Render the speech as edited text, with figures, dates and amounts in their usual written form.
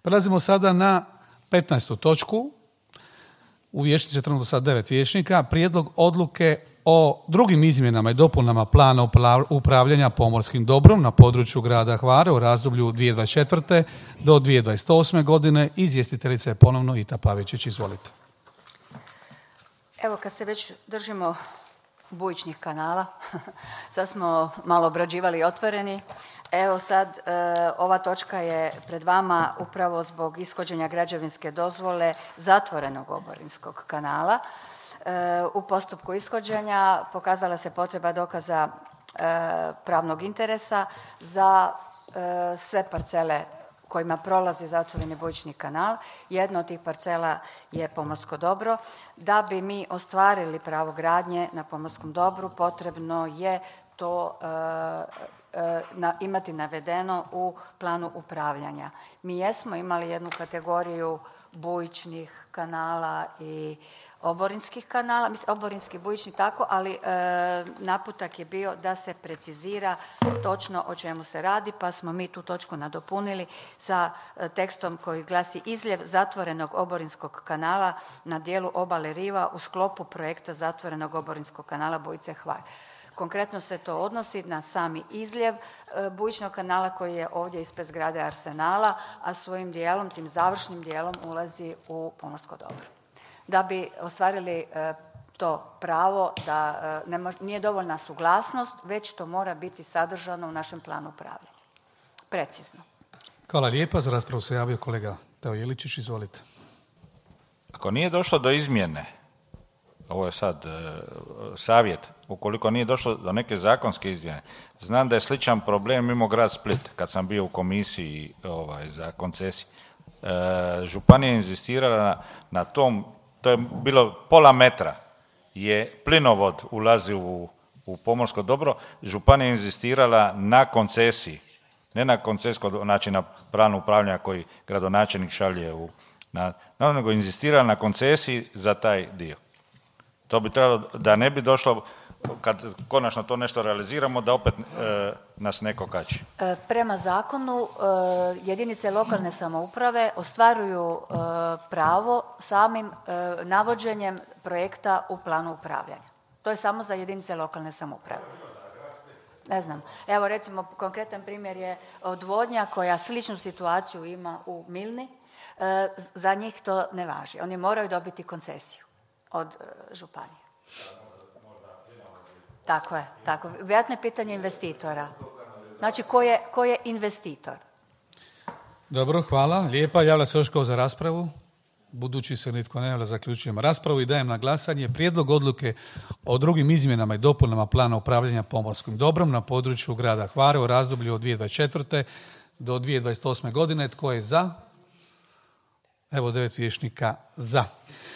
Prelazimo sada na 15. točku. U vijećnici je trenutno sad 9 vijećnika. Prijedlog odluke o drugim izmjenama i dopunama plana upravljanja pomorskim dobrom na području grada Hvara u razdoblju 2024. do 2028. godine. Izvjestiteljica je ponovno Ita Pavičić. Izvolite. Evo, kad se već držimo bujičnih kanala, sad smo malo obrađivali i otvoreni. Evo sad, ova točka je pred vama upravo zbog ishođenja građevinske dozvole zatvorenog oborinskog kanala. U postupku ishođenja pokazala se potreba dokaza pravnog interesa za sve parcele kojima prolazi zatvoreni bujični kanal. Jedna od tih parcela je pomorsko dobro. Da bi mi ostvarili pravo gradnje na pomorskom dobru, potrebno je to imati navedeno u planu upravljanja. Mi jesmo imali jednu kategoriju bujičnih kanala i oborinskih kanala, mislim oborinski, bujični tako, ali naputak je bio da se precizira točno o čemu se radi, pa smo mi tu točku nadopunili sa tekstom koji glasi: izljev zatvorenog oborinskog kanala na dijelu obale riva u sklopu projekta zatvorenog oborinskog kanala Bujice Hvar. Konkretno se to odnosi na sami izljev bujičnog kanala koji je ovdje ispred zgrade Arsenala, a svojim dijelom, tim završnim dijelom ulazi u pomorsko dobro. Da bi ostvarili to pravo, da nije dovoljna suglasnost, već to mora biti sadržano u našem planu upravljanja. Precizno. Hvala lijepa. Za raspravu se javio kolega Teo Jeličić. Izvolite. Ako nije došlo do izmjene, ovo je sad savjet, ukoliko nije došlo do neke zakonske izmjene, znam da je sličan problem imao grad Split kad sam bio u komisiji za koncesiju. Županija je inzistirala na tom, to je bilo pola metra, je plinovod ulazi u pomorsko dobro, županija je inzistirala na koncesiji, ne na koncesijsko, znači na planu upravljanja koji gradonačelnik šalje nego inzistirala na koncesiji za taj dio. To bi trebalo da ne bi došlo, kad konačno to nešto realiziramo, da opet nas neko kači. Prema zakonu jedinice lokalne samouprave ostvaruju pravo samim navođenjem projekta u planu upravljanja. To je samo za jedinice lokalne samouprave. Ne znam. Evo recimo konkretan primjer je odvodnja koja sličnu situaciju ima u Milni. Za njih to ne važi. Oni moraju dobiti koncesiju od županije. Tako je, tako. Vjerojatno je pitanje investitora. Znači, ko je investitor? Dobro, hvala. Lijepa. Javlja se još ko za raspravu. Budući se nitko ne javlja, zaključujemo raspravu i dajem na glasanje prijedlog odluke o drugim izmjenama i dopunama plana upravljanja pomorskim dobrom na području grada Hvara u razdoblju od 2024. do 2028. godine. Tko je za? Evo 9 vijećnika za.